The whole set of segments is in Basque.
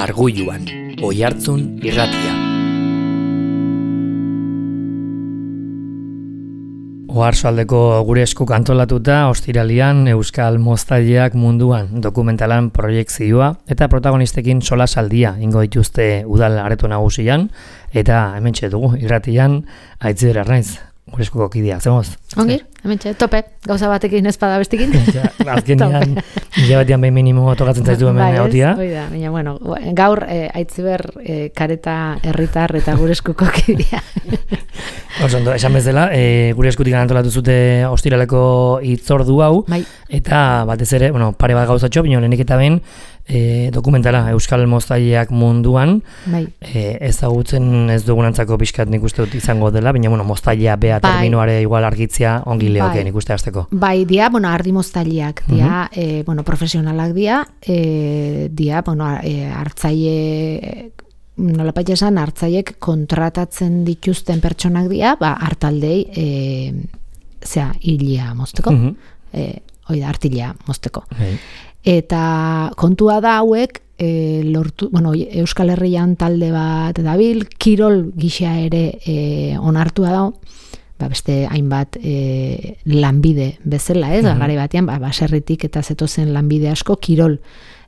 Arguluan, Oihartzun irratia. Oarsoaldeko gure eskuk antolatuta ostiralian Euskal Moztaileak munduan dokumentalan proiekzioa eta protagonistekin solasaldia ingo dituzte udal areto nagusian eta hementxe dugu irratian Aitziber Arnaiz, gure eskuko kideak, zemoz? Ongi, hementxe, tope, gauza batekin ezpada bestekin. Azkenean, hilabetean behin minimo tokatzen zaitu hemen egotia. Oida, baina, bueno, gaur Aitziber kareta herritar eta gure eskuko kidea. Osondo, esan bezala, gure eskutik antolatu zute ostiraleko hitzordu hau, bai. Eta batez ere, bueno, pare bat gauzatxo, bino lehenik eta behin, dokumentala Euskal Moztaileak munduan, bai. Ezagutzen ez dugunantzako pixkat nik uste dut izango dela, baina bueno, Moztailea bea terminoare igual argitzia ongi leoke nik uste hasteko. Bai, dia, bueno, ardi moztaileak, dia, bueno, profesionalak dia, bueno, hartzaile, nolapait esan, hartzaiek kontratatzen dituzten pertsonak dira, hartaldei, hilia mozteko, oida, artilea mozteko. Eta kontua da hauek, bueno, Euskal Herrian talde bat dabil, kirol gisa ere onartua dago, beste hainbat lanbide bezala, ez? Garai batean, baserritik eta zetozen lanbide asko kirol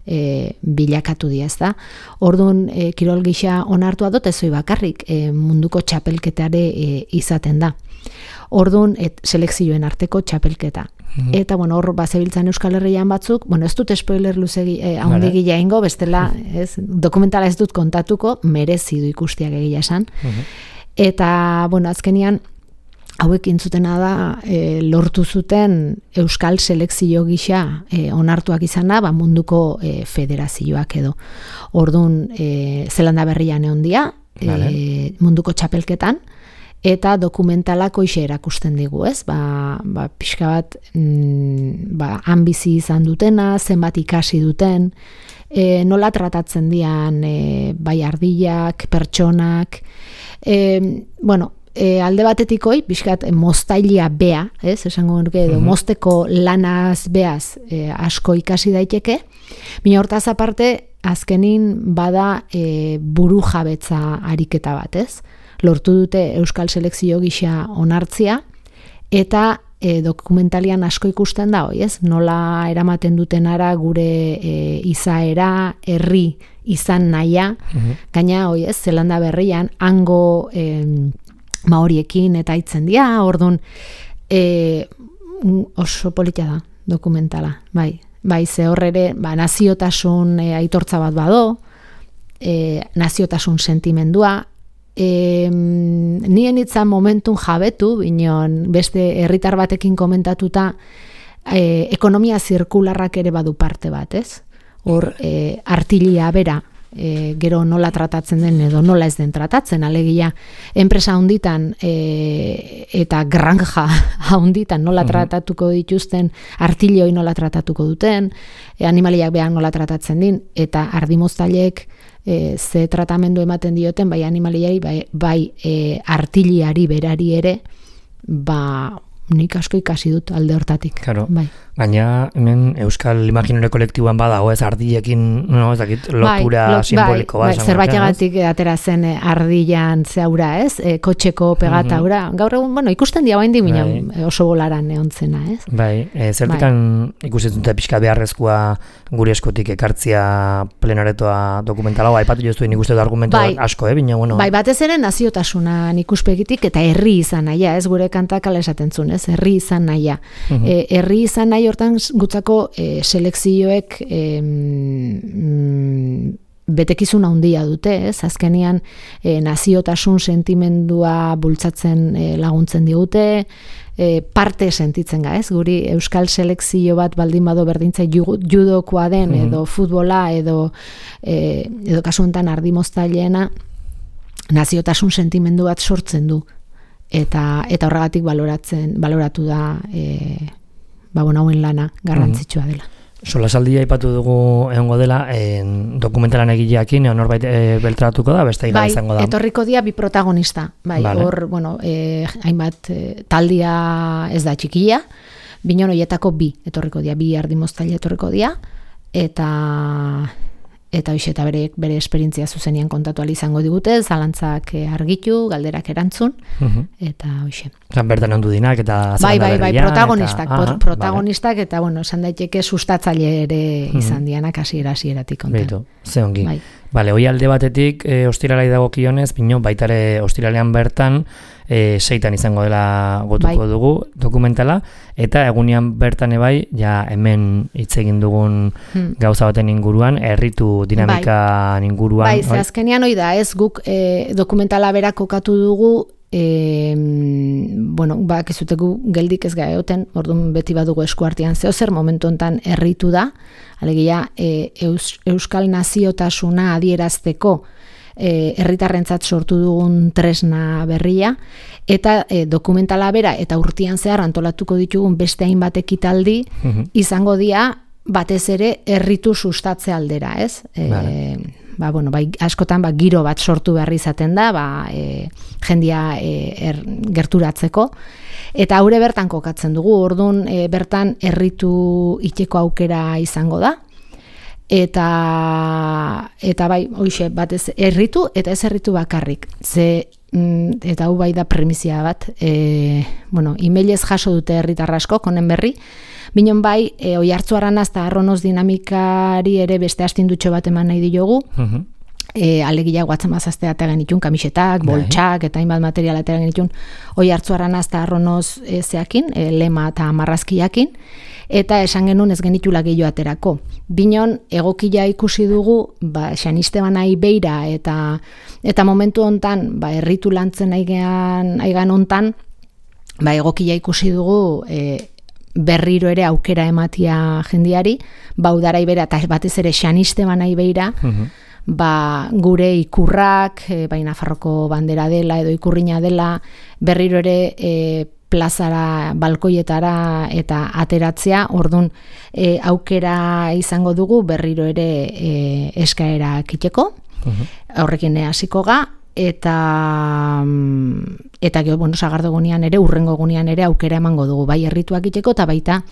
bilakatu dira, ez da? Orduan, kirol gisa onartua dut, ezoi bakarrik, munduko txapelketare izaten da. Orduan, selekzioen arteko txapelketa. Eta, bueno, hor bazebiltzan Euskal Herrian batzuk, bueno, ez dut spoiler luzegi haundegila ingo, bestela, ez, dokumentala ez dut kontatuko, merezi du ikustiak egia esan. Eta, bueno, azkenian, hauek intzutena da, lortu zuten Euskal selekzio gisa onartuak izana, munduko federazioak edo. Orduan, Zelanda Berrian egon dia, munduko txapelketan, eta dokumentalako ise erakusten digu, ez? Pixka bat, han bizi izan dutena, zenbat ikasi duten, nola tratatzen dian, bai ardilak, pertsonak, bueno, alde batetik pixkat moztailea bea, ez? Esango nuke edo, mozteko lanaz beaz asko ikasi daiteke, baina hortaz aparte, azkenin bada buru jabetza ariketa bat, ez? Lortu dute Euskal selekzio gisa onartzia, eta dokumentalian asko ikusten da, ez? Nola eramaten duten ara gure izaera, herri izan nahia, gaina, ez? Zelanda Berrian, hango maoriekin eta hitzen dira, orduan oso polita da dokumentala, bai, ze hor ere, naziotasun aitortza bat bado, naziotasun sentimendua, nien itzan momentun jabetu, binon beste herritar batekin komentatuta, ekonomia zirkularrak ere badu parte bat, ez? Hor, artilia bera, gero nola tratatzen den edo nola ez den tratatzen, alegia enpresa handitan eta granja handitan nola tratatuko dituzten, artilioi nola tratatuko duten, animaliak behan nola tratatzen din, eta ardimoztaileek ze tratamendu ematen dioten, bai animaliai, bai artiliari berari ere, nik asko ikasi dut alde hortatik. Claro. Bai. Baina hemen Euskal Imaginore kolektiboan badago, ez ardiekin, no, ez dakit, lotura simboliko bat. Zerbaitegatik atera zen ardian zehaura, ez? Kotxeko pegataura. Gaur egun, bueno, ikusten dia bain di, oso bolaran eontzena, ez? Bai, zertikan ikusten dute pixka beharrezkoa gure eskutik ekartzia plenaretoa dokumentala, aipatu joztu ikusten dut argumentu asko, bina, bueno. Bai, batez ere naziotasunan ikuspegitik eta herri izan nahia, ez? Gure kantak ala esaten zuen, ez? Herri izan nahia. Herri izan nahi hortan gutzako selekzioek betekizun handia dute, ez? Azkenean naziotasun sentimendua bultzatzen laguntzen digute, parte sentitzen ga, ez? Guri Euskal selekzio bat baldin bado berdintza judokoa den edo futbola edo kasu honetan ardi moztaileena naziotasun sentimendu bat sortzen du. Eta horregatik baloratu da hauen lana garrantzitsua dela. Solasaldia aipatu dugu egongo dela, dokumentalan egileekin norbait beltratuko da, beste izango da. Etorriko dira bi protagonista. Bai, hor, bueno, hainbat taldia ez da txikia, binon horietako bi etorriko dira, bi ardimoztaile etorriko dira, eta eta hoxe eta bere esperientzia zuzenian kontatu ahal izango digute, zalantzak argitu, galderak erantzun, eta hoxe. Bertan ondu dinak eta bai, protagonistak eta bueno, esan daiteke sustatzaile ere izan dianak hasieratik kontan. Beitu, ze ongi. Bale, hoi alde batetik ostiralai dagokionez, bino baitare ostiralean bertan 6 izango dela gotuko dugu dokumentala, eta egunean bertan ebai, ja hemen hitz egin dugun gauza baten inguruan, erritu dinamika inguruan. Bai, ze azkenean hoi da, ez guk dokumentala berak kokatu dugu, bueno, bakizutegu geldik ez gaeoten, orduan beti badugu eskuartean zeozer, momentu hontan erritu da, alegia euskal naziotasuna adierazteko herritarrentzat sortu dugun tresna berria, eta dokumentala bera eta urtean zehar antolatuko ditugun beste hainbat ekitaldi izango dira batez ere herritu sustatze aldera, ez? Bueno, askotan giro bat sortu behar izaten da, jendia gerturatzeko, eta haure bertan kokatzen dugu, orduan bertan herritu iteko aukera izango da, eta bai, hoixe, batez herritu eta ez herritu bakarrik, eta hau bai da premizia bat, bueno, emailez jaso dute herritar asko, konen berri, binon bai, Oiartzuaranaz eta Arronoz dinamikari ere beste astindutxo bat eman nahi diogu, alegia guatzen mazazte ateren itun, kamisetak, boltsak, eta hainbat material ateren itun, Oiartzuaranaz eta Arronoz zeakin, lema eta marrazkiakin, eta esan genuen ez genitula gehiago aterako. Binon, egokila ikusi dugu, San Estebanai beira, eta momentu hontan, herritu lantzen aigan hontan, egokila ikusi dugu, berriro ere aukera ematia jendiari, udarai bera, eta batez ere San Estebanai beira, gure ikurrak, Nafarroko bandera dela edo ikurrina dela, berriro ere plazara, balkoietara eta ateratzea, orduan aukera izango dugu berriro ere eskaera kiteko, horrekin hasiko ga, eta gero, bueno, sagardogunean ere, urrengo gunean ere aukera emango dugu, bai herrituak iteko eta baita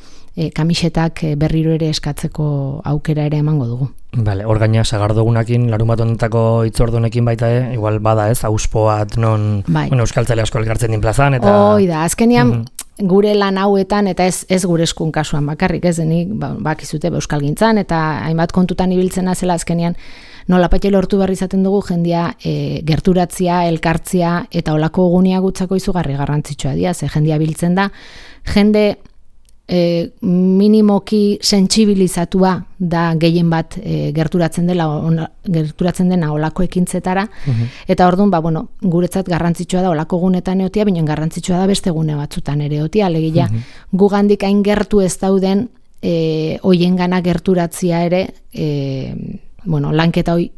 kamisetak berriro ere eskatzeko aukera ere emango dugu. Bale, hor gaina sagardogunakin, larunbat honetako hitzordunekin baita, igual bada ez, auspoat non, bueno, euskaltzale asko elkartzen din plazan, eta... Hoi da, azkenean gure lan hauetan, eta ez gure eskun kasuan bakarrik, ez denik, bakizute euskalgintzan, eta hainbat kontutan ibiltzen azela azkenean, nolapait lortu behar izaten dugu jendia gerturatzia, elkartzia, eta olako gunia gutzako izugarri garrantzitsua dira, ze jendia biltzen da, jende minimoki sentsibilizatua da gehien bat gerturatzen dena olako ekintzetara, eta orduan, bueno, guretzat garrantzitsua da olako gunetan eotia, baina garrantzitsua da beste gune batzutan ere eotia, alegia gugandik hain gertu ez dauden hoiengana gerturatzia ere, bueno, lanketa hoi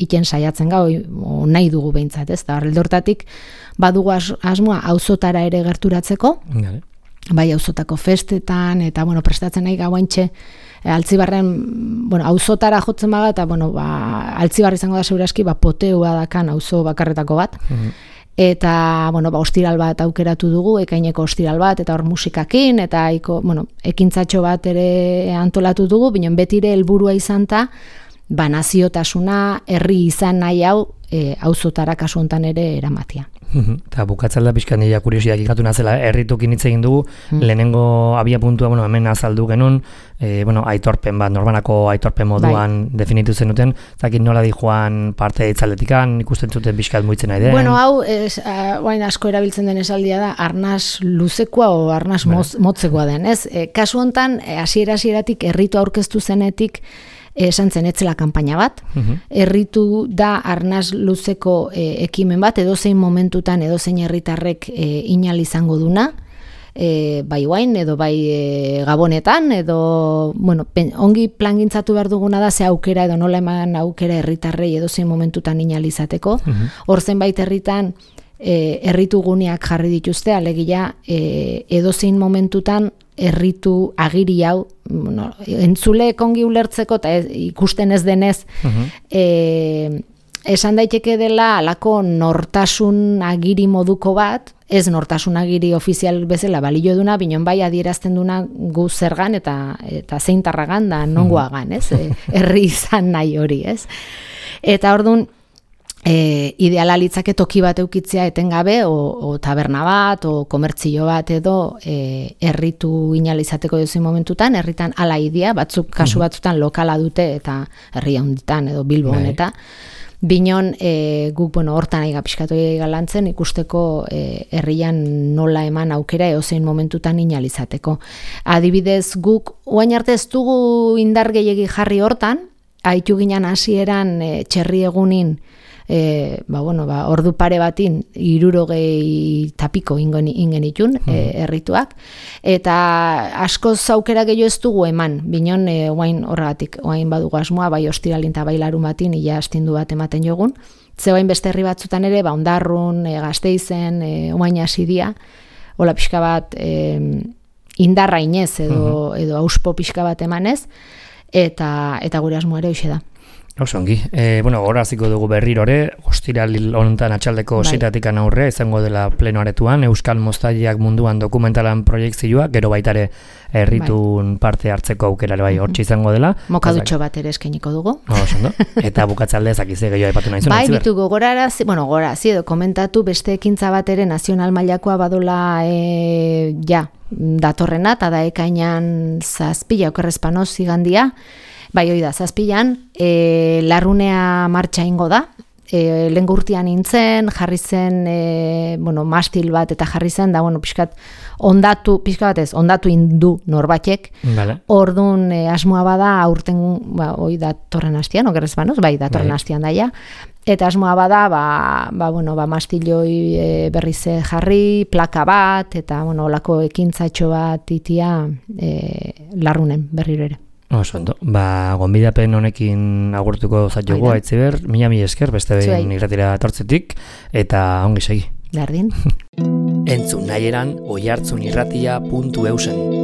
iten saiatzen ga, nahi dugu behintzat, ez da, horrelortatik badugu asmoa auzotara ere gerturatzeko, bai auzotako festetan, eta bueno, prestatzen nahi gauaintxe, Altzibarren, bueno, auzotara jotzen baga, eta bueno, Altzibar izango da segurazki, poteua dakan auzo bakarretako bat, eta bueno, ostiral bat aukeratu dugu, ekaineko ostiral bat, eta hor musikakin, eta bueno, ekintzatxo bat ere antolatu dugu, binen betire helburua izan ta, naziotasuna, herri izan nahi hau, auzotara kasu hontan ere eramatia. Eta bukatzen da pixkan dira kuriosiak ikatu nazela, herritukin hitz egin dugu, lehenengo abia puntua, bueno, hemen azaldu genuen, bueno, aitorpen bat, norbanako aitorpen moduan definitu zenuten, zakit nola di joan parte itzaldetikan, ikusten zuten pixkat muitzen nahi den. Bueno, hau, asko erabiltzen den esaldia da, arnaz luzekoa o arnaz motzekoa den, ez? Kasu hontan, hasieratik herritu aurkeztu zenetik, esan zen etzela kanpaina bat, herritu da arnaz luzeko ekimen bat, edozein momentutan, edozein herritarrek inal izango duna, bai guain, edo bai gabonetan, edo, bueno, ongi plangintzatu behar duguna da, ze aukera edo nola eman aukera herritarrei edozein momentutan inal izateko, hor zenbait herritan, herritu guneak jarri dituzte, alegia edozein momentutan herritu agiri hau, entzule ongi ulertzeko eta ikusten ez denez esan daiteke dela alako nortasun agiri moduko bat, ez nortasun agiri ofizial bezala balio duna, binon bai adierazten duna gu zergan eta zeintarragan da nongoagan, ez? Herri izan nahi hori, ez? Eta orduan, ideala litzake toki bat eukitzea etengabe, o taberna bat, o komertzio bat edo herritu inalizateko duzin momentutan, herritan ala idea, batzuk kasu batzutan lokala dute eta herria hunditan edo Bilbo honeta. Binon, guk, hortan aiga pixkatu galantzen, ikusteko herrian nola eman aukera eozein momentutan inalizateko. Adibidez, guk, oain arte ez dugu indar gehiegi jarri hortan, haitu ginen hasieran txerri egunin, ordu pare batin 60 tapiko ingen itun errituak, eta asko zaukera gehiago ez dugu eman, binon oain horregatik, oain badugu asmoa, bai ostiralin eta bai larun batin, ia astindu bat ematen jogun, zeoain beste herri batzutan ere, Ondarrun, Gasteizen, oain asidia, hola pixka bat indarra inez edo auspo pixka bat emanez, eta gure asmoa ere hoxe da. Osongi, gora hasiko dugu berrirore, ostiral honetan atxaldeko 7-tik aurre, izango dela pleno aretuan, Euskal Moztaileak munduan dokumentalan proiektzioa, gero baitare herritun parte hartzeko aukera bai hortxe izango dela. Mokadutxo bat ere eskainiko dugu. Osondo, eta bukatzalde ezakize gehiago aipatu nahi zuen. Bai, bitu gogorazi edo komentatu beste ekintza bat ere nazional mailakoa badola datorrena, eta da ekainan 7 okerrezpanoz igandia, bai, hoi da, 7 larrunea martxa ingo da, lehen urtean nintzen, jarri zen, mastil bat eta jarri zen, da, ondatu indu norbatek, orduan asmoa bada, aurten, hoi datorren hastian, okerrez banoz, bai, datorren hastian daia, eta asmoa bada, mastiloi berriz jarri, plaka bat, eta, olako ekintzatxo bat itia larrunen berriro ere. Osondo, gonbidapen honekin agurtuko zaitugu Aitziber, mila esker beste behin irratira etortzetik eta ongi segi. Berdin. Entzun nahieran oihartzunirratia.eusen.